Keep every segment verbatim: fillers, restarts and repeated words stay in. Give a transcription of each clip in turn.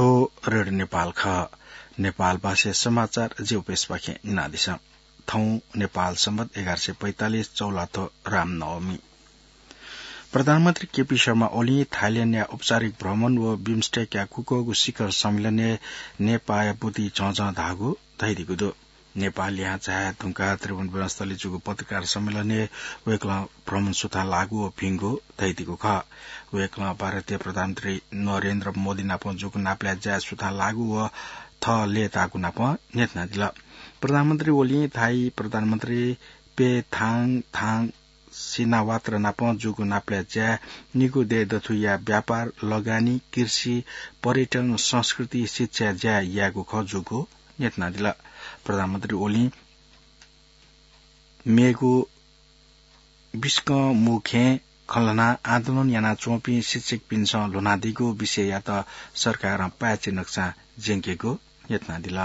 थ्व रेडियो नेपाल खः। नेपाल भाषा समाचार जिगु पेजपाखें न्यनादिसँ। थौं नेपाल सम्बत एघार सय पैंतालिस चौलाथ्व रामनवमी। प्रधानमन्त्री केपी शर्मा ओलीं थाइल्याण्डया औपचारिक भ्रमण व बिमस्टेकया कुकःगु शिखर सम्मेलनय् नेपाःया बुँति झःझः धाःगु धयादीगु दु। नेपालयां झाये धुंकाः त्रिभुवन विमानस्थलय् जूगु पत्रकार सम्मेलनय् वय्कलं भ्रमण सुथां लाःगु व भिंगु धयादीगु खः। वय्कलं भारतीय प्रधानमन्त्री नरेन्द्र मोदी नाप जूगु नापलाये जाये सुथां लाःगु व थः लय्ताःगु नाप न्ह्यथनादिल। प्रधानमन्त्री ओलीं थाई प्रधानमन्त्री पै थाङ थाङ सिनावात्रा नाप जूगु नापलाये जाये निगू दय् दथुया व्यापार, लगानी, कृषि, पर्यटन, संस्कृति, शिक्षाया ज्या यायेगु खः जूगु न्ह्यथनादिल। प्रधानमन्त्री ओलीं मेगु बिस्कं मू खँय् खँ ल्हानाः आन्दोलन यानाच्वंपिं शिक्षकपिन्सं ल्ह्वनादीगु विषययात सरकारं पाय्छि नकसां ज्यंकेगु न्ह्यथनादिल।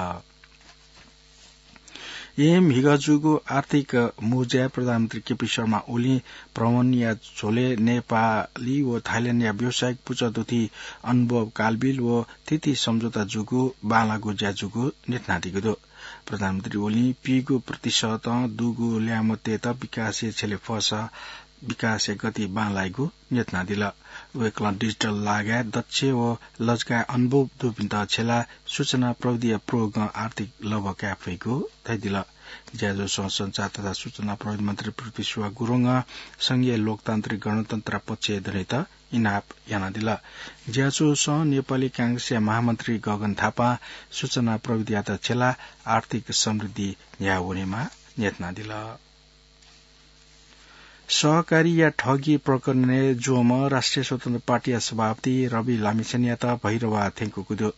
एम हिगः जूगु आर्थिक मुँज्याय् प्रधानमन्त्री केपी शर्मा ओलीं भ्रमणया झ्वलय् नेपाली व थाइल्याण्डया व्यावसायिक पुचः दुथि अनुभव कालबिल व थीथी सम्झौता जूगु बांलाःगु ज्या जूगु न्ह्यथनादीगु दु। प्रधानमन्त्री ओलीं पीगू प्रतिशतं दुगु ल्याय्म्हतय्त विकासय् छ्यले फःसा विकासया गति बांलाइगु न्ह्यथनादिल। वय्कलं डिजिटल लागाय् दक्ष व लजगाय् अनुभव दुपिन्त छ्यलाः सूचना प्रविधिया प्रयोगं आर्थिक लभ्व काये फइगु धयादिल। ज्याझ्वलय् संचार तथा सूचना प्रविधि मन्त्री पृथ्वी सुवाः गुरुङं संघीय लोकतान्त्रिक गणतन्त्रया पक्षय् दनेत इनाप यानादिल। ज्याझ्वलय् नेपाली कांग्रेसया महामन्त्री गगन थापां सूचना प्रविधियात छ्यलाः आर्थिक समृद्धि न्ह्याः वनेमाः न्ह्यथनादिल। सहकारीया ठगी प्रकरणय् ज्वंम्ह राष्ट्रिय स्वतन्त्र पार्टीया सभापति रवि लामिछानेयात भैरवाः थ्यंकूगु दु।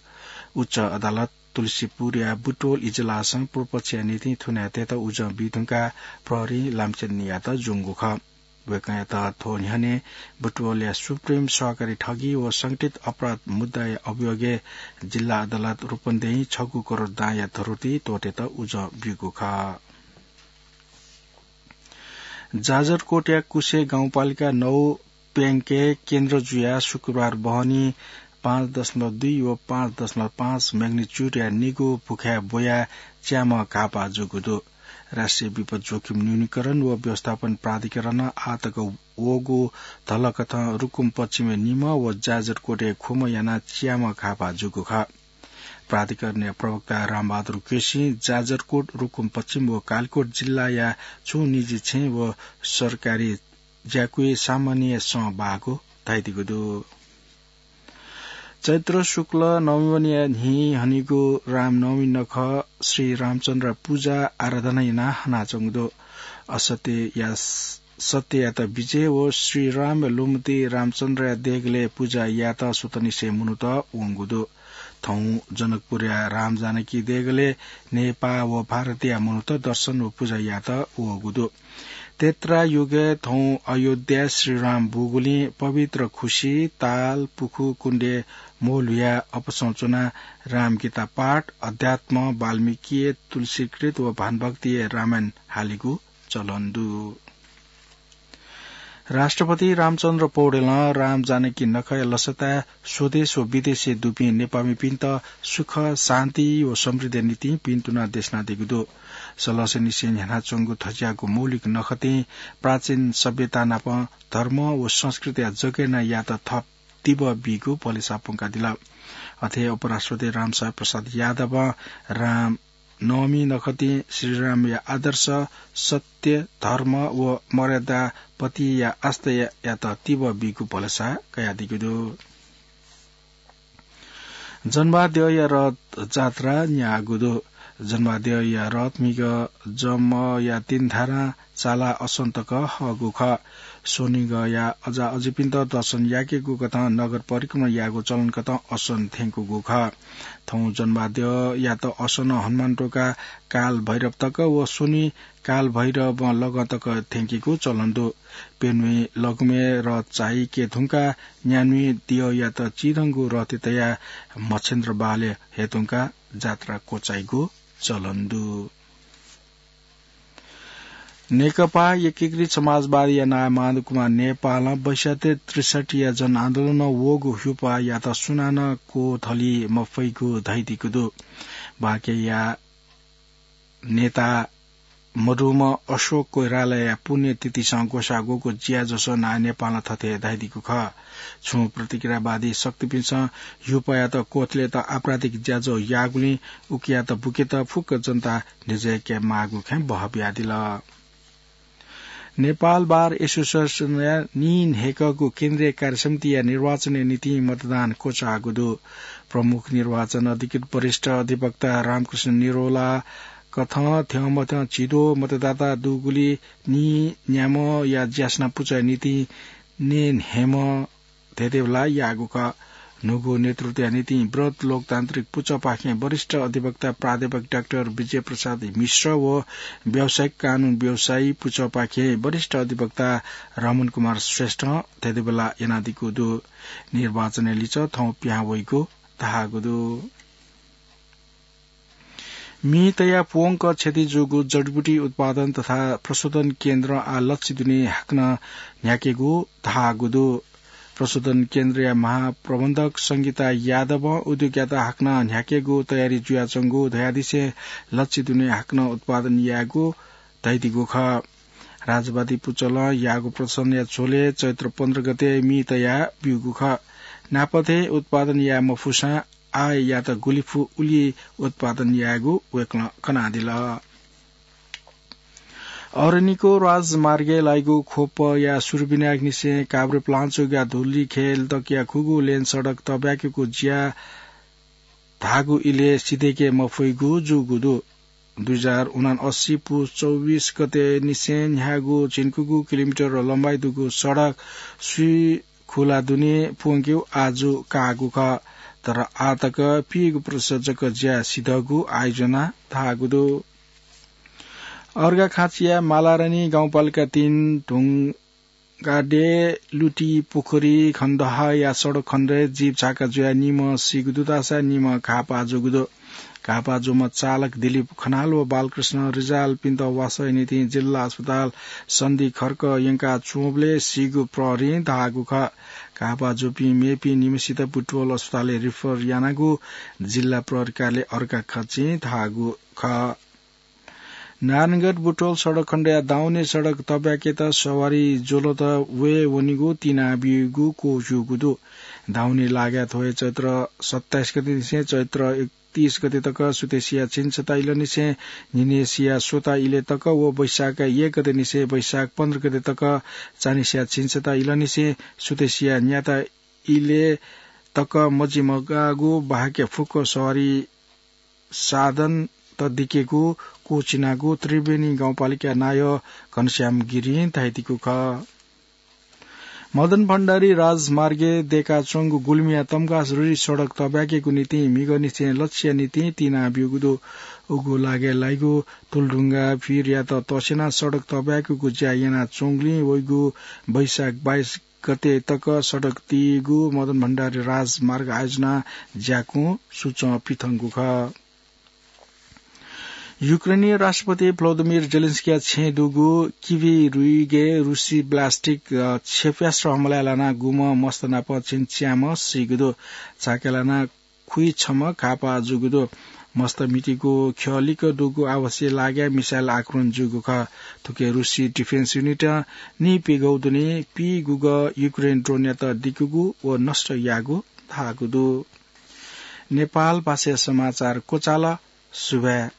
उच्च अदालत तुलसीपुरया बुटवल इजलासं पूर्वपक्षया निंतिं थुनायेतय्त उजं बी धुंकाः प्रहरीं लामिछानेयात ज्वंगु खः। वय्कःयात थ्व न्ह्यःने बुटवलया सुप्रिम सहकारी ठगी व संगठित अपराध मुद्दाया अभियोगय् जिल्ला अदालत रूपन्देहीं छगू करोड दांया धरोटी त्वःतेत उजं ब्यूगु खः। जाजरकोटया कुसे गाउँपालिका नौ प्याङ्के केन्द्र जुयाः शुक्रबार बहनी पाँच दशमलव दुई व पाँच दशमलव पाँच magnitude-या निगू भुखाय् ब्वयाः च्याम्ह घाःपाः जूगु दु। राष्ट्रिय विपद जोखिम न्यूनीकरण व व्यवस्थापन प्राधिकरणं आःतक वःगु धलकथं रुकुम पश्चिमय् निम्ह व जाजरकोटय् खुम्ह यानाः च्याम्ह घाःपाः जूगु खः। प्राधिकरणया प्रवक्ता रामबहादुर केसीं जाजरकोट, रुकुम पश्चिम व कालिकोट जिल्लाया छुं निजी छेँ व सरकारी ज्याकुइ सामान्य सं बाःगु धयादीगु दु। चैत्र शुक्ल नवमीया न्हि हनेगु रामनवमी नखः श्री रामचन्द्र पूजा आराधना यानाः हनाच्वंगु दु। असत्यया सत्ययात विजय व श्री रामया लुमति रामचन्द्रया देगलय् पूजा यायेत सुथंनिसें मनूत वंगु दु। थौं जनकपुरया रामजानकी देगलय् नेपाः व भारतया मनूत दर्शन व पूजा यायेत वःगु दु। त्रेता युगय् थौं अयोध्याय् श्रीराम बूगुलिं पवित्र खुसि, ताल, पुखु, कुण्डय् म्वःल्हुयाः अपसं च्वनाः रामगीता पाठ, अध्यात्म, वाल्मीकीय तुलसीकृत व भानुभक्तिय रामायण हालेगु चलन दु। राष्ट्रपति रामचन्द्र पौडेलं रामजानकी नखःया लसताय् स्वदेश व विदेशय् दुपिं नेपाःमिपिन्त सुख, शान्ति व समृद्धिया निंतिं भिन्तुना देछानादीगु दु। सलस्यनिसें न्ह्यानाच्वंगु थज्याःगु मौलिक नखःतिं प्राचीन सभ्यता नाप धर्म व संस्कृतिया जगय् यानाः यात थप तिबः बीगु भलसा प्वंकादिल। अथे उपराष्ट्रपति रामशय प्रसाद यादवं राम नवमी नखःतिं श्रीरामया आदर्श, सत्य, धर्म व मर्यादा प्रतिया आस्थायात तिबः बीगु भलसा कयादीगु दु। जन्माद्यःया रथ जात्रा न्याःगु दु। जन्माद्यःया रथ म्हिगः जमया तीन धारां चाला असन तक हःगु खः। स्वनिगःया अजा अजिपिन्त दर्शन याकेगु कथं नगर परिक्रमा यायेगु चलन कथं असन थ्यंकूगु खः। थौं जन्माद्यःयात असनं हनुमान टोका काल भैरव तक व स्वनि काल भैरवं लगं तक थ्यंकीगु चलन दु। प्यन्हुइ लघुमय् रथ चाइके धुंकाः न्यान्हुइ द्यःयात चिधंगु रथय् तयाः मच्छिन्द्र बहालय् हये धुंकाः जात्रा क्वचाइगु चलन दु। नेकपा एकीकृत समाजवादीया नायः माधव कुमार नेपालं बैसत्तरी त्रिसठ्ठीया जनआन्दोलनं वःगु ह्युपायात सुनानं क्वथली मफइगु धइदिगु दु। बाँकेया नेता मदुम्ह अशोक कोइरालाया पुण्यतिथिसं ग्वसाः ग्वःगु ज्याझ्वलय् नायः नेपालं थथे धइदिगु खः। छुं प्रतिक्रियावादी शक्तिपिन्सं ह्युपायात क्वथलेत आपराधिक ज्याझ्वः याःगुलिं उकियात बुकेत फुक्क जनता न्ह्यज्वय्के माःगु खँय् बहः बियादिल। नेपाल बार एसोसिएसनया नीन्हय्कःगु केन्द्रीय कार्यसमितिया निर्वाचनया निंतिं मतदान क्वचाःगु दु। प्रमुख निर्वाचन अधिकृत वरिष्ठ अधिवक्ता रामकृष्ण निरोला कथं थ्यंमथ्यं झिद्वः मतदाता दुगुलिं नीन्याम्हया ज्यासना पुचःया निंतिं नीन्हय्म्ह धेधेबला याःगु खः। न्हूगु नेतृत्वया निंतिं व्रत लोकतान्त्रिक पुचःपाखें वरिष्ठ अधिवक्ता प्राध्यापक डाक्टर विजय प्रसाद मिश्र व व्यावसायिक कानून व्यवसायी पुचःपाखें वरिष्ठ अधिवक्ता रमण कुमार श्रेष्ठं धेधेबला यानादीगु दु। निर्वाचनया लिच्वः थौं पिहां वइगु धाःगु दु। मि तयाः प्वंक क्षति जूगु जडीबुटी उत्पादन तथा प्रशोधन केन्द्र आः लच्छि दुने हाकनं न्ह्याकेगु धाःगु दु। प्रशोधन केन्द्रया महाप्रबन्धक संगीता यादवं उद्योगयात हाकनं न्ह्याकेगु तयारी जुयाच्वंगु धयादिसें लच्छि दुने हाकनं उत्पादन यायेगु धइदिगु खः। राजवादी पुचलं याःगु प्रदर्शनया झ्वलय् चैत्र पन्ध्र गते मि तयाः ब्यूगु खः। नापथें उत्पादन याये मफुसां आःयात गुलि फु उलि उत्पादन यायेगु वय्कलं कनादिल। अरनिको राजमार्गय् लाइगु ख्वपया सुरु बिनायेगु निसें काभ्रेपलाञ्चोकया धुलीखेल तकया खुगू लेन सडक तब्याकेगु ज्या धाःगु इलय् सिधय्के मफइगु जूगु दु। दुई हजार उनासी पुस चौबिस गते निसें न्ह्याःगु झिंकुगू किलोमिटर लम्बाइ दुगु सडक स्वीखुला दुने प्वंकेगु आजु काःगु खः। तर आः तक पीगु प्रतिशत जक ज्या सिधःगु आयोजना धाःगु दु। अर्घाखाँचिया मालारानी गाउँपालिका तीन ढुङ्गाडे, लुटी, पोखरी, खण्डहाया सडक खण्डय् जीप झाका जुयाः निम्ह सीगु दुतासा निम्ह घाःपाः जूगु दु। घाःपाः जूम्ह चालक दिलीप खनाल व बालकृष्ण रिजालपिन्त वासःया निंतिं जिल्ला अस्पताल सन्धि खर्क यंका च्वंबलय् सीगु प्रहरीं धाःगु खः। घाःपाः जूपिं मेपिं निम्हसित बुटवल अस्पतालय् रिफर यानागु जिल्ला प्रहरी कार्यालय अर्घाखाँचिं धाःगु खः। नारायणगढ बुटवल सडक खण्डया दाउने सडक तब्याकेत सवारी ज्वलत वये वनीगु तिनाब्यूगु क्वःजूगु दु। दाउने लागाय् थ्व हे चैत्र सत्ताइस गते निसें चैत्र एकतीस गते तक सुथसिया झिंछता इलंनिसें न्हिनय्सिया स्वता इलय् तक व वैशाख एक गते निसें वैशाख पन्ध्र गते तक चान्हिसिया झिंछता इलंनिसें सुथसिया न्याता इलय् तक मजिमगाःगु बाहेक फुक्क सवारी साधनत दिकेगु क्वःछिनागु त्रिवेणी गाउँपालिका नायः घनश्याम गिरिं धयादीगु खः। मदन भण्डारी राजमार्गय् दय्काच्वंगु गुल्मीया तम्घास रुरी सडक तब्याकेगु निंतिं म्हिगःनिसें लच्छिया निंतिं तिनाब्यूगु दु। उगु लागाय् लाइगु तुलढुङ्गा भीरयात तस्यनाः सडक तब्याकेगु ज्या यानाच्वंगुलिं वइगु वैशाख बाइस गते तक सडक तीगु मदन भण्डारी राजमार्ग आयोजना ज्याकुँ सुचं पिथंगु खः। युक्रेनी राष्ट्रपति भ्लोदिमिर जेलेन्स्कीया छेँय् दुगु किभी रुइगय् रुसी ब्लास्टिक, अ, क्षेप्यास्त्र हमलाय् लानाः गुम्ह मस्त नाप झिंच्याम्ह सीगु दु। झाकाय् लानाः खुइछम्ह घाःपाः जूगु दु। मस्त मितिगु ख्यः लिक्क दुगु आवासीय लागाय् मिसाइल आक्रमण जूगु खः। थुकी रुसी डिफेन्स युनिटं निइप्यघौ दुने पीगुगः युक्रेन ड्रोनयात दिकूगु व नष्ट याःगु धाःगु दु। नेपाल भाषाया समाचार क्वचाल। सुभाय्।